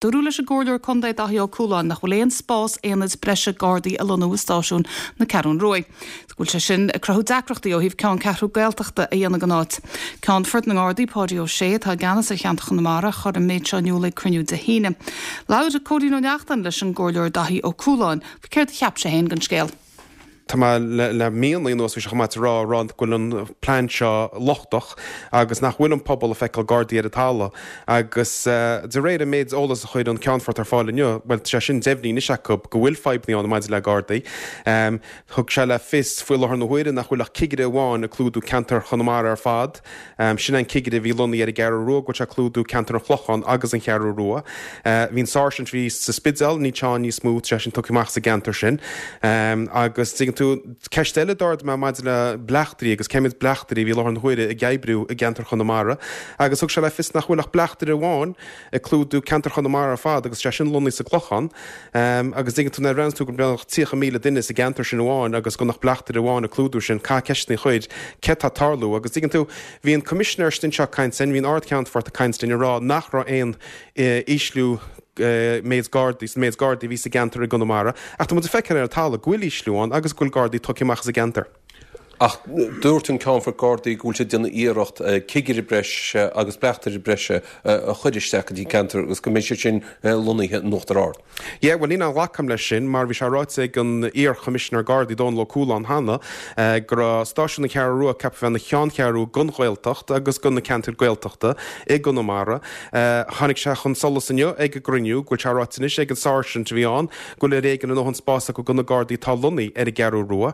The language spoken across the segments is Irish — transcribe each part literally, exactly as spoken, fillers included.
Dúradh leis an gComhairleoir Contae Daithí Ó Cualáin nach bhfuil aon spás aonaid breise Gardaí a lonnú i stáisiún na Ceathrún Rua. Go bhfuil sé sin ag cruthú deacrachtaí ó thaobh ceanncheathrú Gaeltachta a dhéanamh den áit. Ceannfort na nGardaí Páidí Ó Sé atá i gceannas ar cheantar Chonamara chuir an méid seo in iúl ag cruinniú Dé hAoine. Labhair Cóilín Ó Neachtain leis an gComhairleoir Daithí Ó Cualáin, faoi céard a cheap sé féin den scéal. Tá mé le míonna anuas bhí sé chomh maith rá rá go bhfuil an plean seo lochtach agus nach bhfuil an pobal ag feiceáil Gardaí ar an talamh agus de réir an méid eolas a chuir an Ceannfort ar fáil inniu, well sé sin deimhnithe anois acu go bhfuil fadhbanna ann maidir le Gardaí. Um, thug sé le fios faoi láthair na huaire nach bhfuil ach cigire amháin ag clúdú ceantar Chonamara ar fad. Um, sin an cigire a bhí lonnaithe ar an gCeathrú Rua go bhfuil sé ag clúdú ceantar an Chlocháin agus an Cheathrú Rua. Uh, bhí an sáirsint bhí sa Spidéal níl sé ann níos mó sé sin tugtha amach sa gceantar sin. Um, agus tuigeann tú ceist eile d'ardaigh mé maidir le bleachtairí agus cé mhéad bleachtairí a bhí láthair na huaire ag oibriú i gceantar Chonamara agus thug sé le fios nach bhfuil ach bleachtaire amháin ag clúdú ceantar Chonamara ar fad agus sé sin lonnaithe sa gClochán um, agus tuigeann tú na ran tú go beagnach tríocha míle duine sa gceantar sin amháin agus go nach bleachtaire amháin ag clúdú sin ca ceistní chuid cé tá tarlú agus tuigeann tú bhí an Coimisinéir sin seo caint bhí an Ard-Cheannfort ag caint linn ag rá nach raibh aon e, ísliú méid Gardaí san méid Gardaí bhí sa gceantar i gConamara, ach tá muid ag feiceáil ar an talamh go bhfuil ísliú ann agus go bhfuil Gardaí tugtha amach sa gceantar. Ach dúirt an Ceannfort Gardaí go bhfuil sé déanamh iarracht cigire breise agus bleachtaire breise a chur isteach go dtí ceantar agus go mbeidh sé sin lonnaithe in Uachtar Ard. Yeah, well níl aon ghlacadh leis sin mar bhí sé ráite ag an iar-Choimisinéir Gardaí Dónal Ó Cualáin cheana go raibh stáisiún na Ceathrú Rua ceaptha bheith ina cheanncheathrú don Ghaeltacht agus do na ceantair Gaeltachta i gConamara. Tháinig sé chun solais inniu ag an gcruinniú go bhfuil sé ráite anois ag an sáirsint a bhí ann go bhfuil ar éigean a ndóthain spás acu do na Gardaí atá lonnaithe ar an gCeathrú Rua.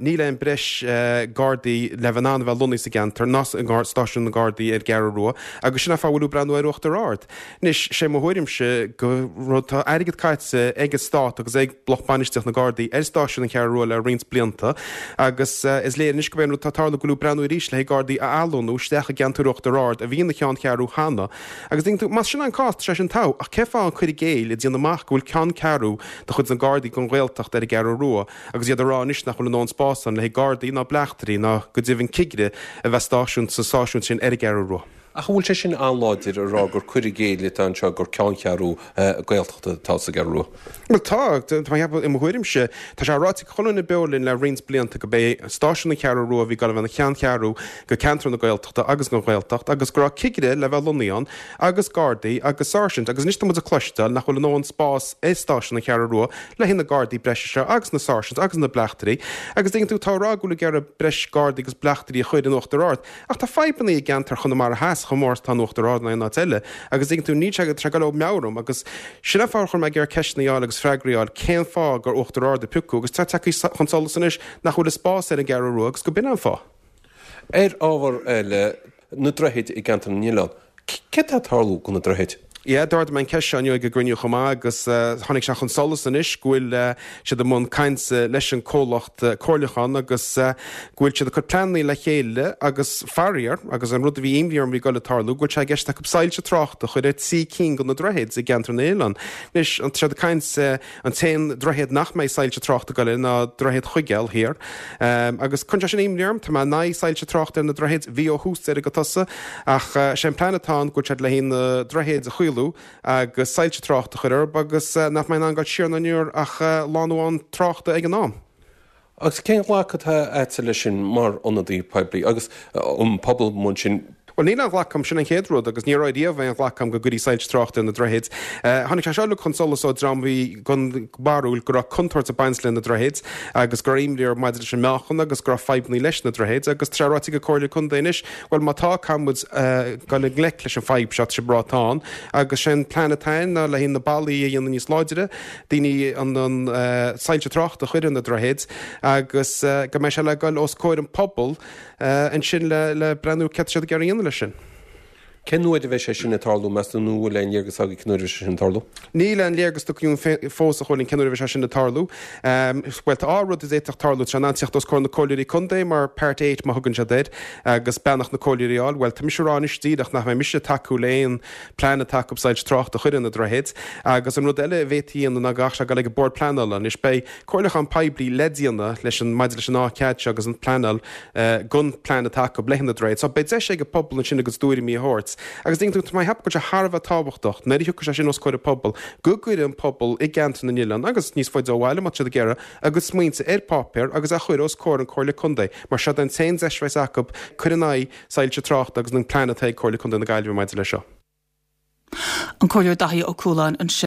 Níl aon breis Gardaí le bheith in ann a bheith lonnaithe sa gceantar ná stáisiún na Gardaí ar an gCeathrú Rua agus sin an fáth a bhfuil breathnú ar Uachtar Ard. Anois sé mo thuairimse go rud tá airgead caite ag an stát agus ag lucht bainistíocht na Gardaí ar stáisiún an Cheathrú Rua le roinnt blianta agus is léir anois go bhfuil rud tá tarlú go bhfuil breathnú arís le Gardaí a athlonnú isteach i gceantar Uachtar Ard a bhí ina cheanncheathrú cheana agus ding tú más sin an cás sé sin tá ach cén fáth an cur i gcéill ag déanamh amach go bhfuil ceanncheathrú de chuid na Gardaí don Ghaeltacht ar an gCeathrú Rua agus iad a rá anois nach bhfuil a ndóthain spás ann le Gardaí ná bleachtairí ná go deimhin cigire a bheith stáisiún sa stáisiún sin ar an gCeathrú Rua. Ach bhfuil sé sin an-láidir a rá gur cur i gcéill atá anseo gur ceanncheathrú Gaeltachta atá sa gCeathrú Rua. Well tá tá i mo thuairimse tá sé ráite chuile dhuine beo linn le roinnt blianta go bé stáisiún na Ceathrú Rua bhí go bheith ina cheanncheathrú go ceantar na Gaeltachta agus na Gaeltacht agus go raibh cigire le bheith lonnaithe ann agus Gardaí agus sáirsint agus anois tá muid ag cloisteáil nach bhfuil a ndóthain spás i stáisiún na Ceathrú Rua le na Gardaí breise seo agus na sáirsint agus na bleachtairí agus tuigeann tú tá rá go bhfuil ag iarraidh breis Gardaí agus bleachtairí a chur in Uachtar Ard ach tá fadhbanna i gceantar Chonamara Theas chomh mór tá in Uachtar Ard ná aon áit eile agus tuigeann tú ní sé go go meabhram agus sin an fáth a chuir mé ag iarraidh ceisteanna a fháil agus freagraí a fháil cén fáth gur Uachtar Ard a piocadh agus tá tagtha chun solais anois nach bhfuil a spás ar an gCeathrú Rua agus go b'in an fáth. Ar ábhar eile na droichid i gceantar na nOileán, cé tá ag tarlú go na droichid? Yeah, d'ardaigh mé an ceist seo inniu ag an gcruinniú chomh maith agus tháinig sé chun solais anois go bhfuil siad i mbun caint leis an comhlacht comhairliúcháin agus go bhfuil siad ag cur pleananna le chéile agus faraor agus an rud a bhí imní orm bhí ag dul ag tarlú go bhfuil sé i gceist acu soilse tráchta a chur ar trí cinn de na droichid i gceantar na nOileán. Anois an siad ag caint an t-aon droichead nach mbeidh soilse tráchta ag dul air ná droichead Chuigéil thiar. Um, agus chuir sé sin imní orm tá mé in aghaidh soilse tráchta ar na droichid bhí ó thús deireadh go tosaigh ach sé an plean atá ann go bhfuil siad le haghaidh na droichid a chaolú agus soilse tráchta a chur orthu agus nach mbeidh an gáil siar na nuair ach lánúán tráchta ag an am. Agus cén ghlacadh atá agat leis sin mar ionadaí poiblí agus an pobal mun sin Well níl aon ghlacadh agam sin an chéad rud agus ní raibh riamh aon ghlacadh agam go gcuirí soilse tráchta ar na droichid. Tháinig sé seo chun solais ó dream bhí den bharúil go raibh contúirt ag baint le na droichid agus go raibh imní orthu maidir leis an meáchan agus go raibh fadhbanna leis na droichid agus tá sé ráite ag Comhairle Contae anois, well má tá caithfidh muid dul i ngleic leis an fadhb seo tá sé brátán agus sé an plean atá ná le na ballaí a dhéanamh níos láidre, daoine an an soilse tráchta a chur ar na droichid agus go mbeidh sé le dul os comhair an pobal ansin le le breathnú cé siad ag iarraidh leis sin. Cén uair a bheidh sé sin ag tarlú meas tú nó bhfuil aon léargas agaibh cén uair a bheidh sé sin ag tarlú? Níl aon léargas againn fós a Chóilín cén uair a bheidh sé sin ag tarlú. Um, well tá rud a d'fhéadfadh tarlú sé an teacht os comhair na comhairleoirí contae mar Part eight má thugann siad air agus beannacht na comhairleoirí a fháil. Well tá mise ag rá anois díreach nach mbeidh mise ag tacú le aon plean atá acu soilse tráchta a chur ar na droichid agus an rud eile a bhféadfaí a dhéanamh ná gach sé dul ag an bord pleanála anois beidh comhairliúchán poiblí le déanamh leis an maidir leis an á cead seo agus an pleanáil uh, gon plean atá acu le na droichid. So beidh deis ag an pobal ansin agus tuairimí a thabhairt. saghas. Agus ding tú tá mé ag ceapadh go bhfuil sé thar a bheith tábhachtach nuair a thiocfaidh sé sin os comhair an pobail go gcuirfidh an pobal i gceantar na n-oileán agus níos faide ó bhaile má tá siad ag iarraidh a gcuid smaointe ar páipéar agus a chur os comhair an Comhairle Contae mar seo an t-aon deis a bheas acu cur in aghaidh soilse tráchta agus an plean atá ag Comhairle Contae na Gaillimhe maidir leis seo. An Comhairleoir Daithí Ó Cualáin ansin.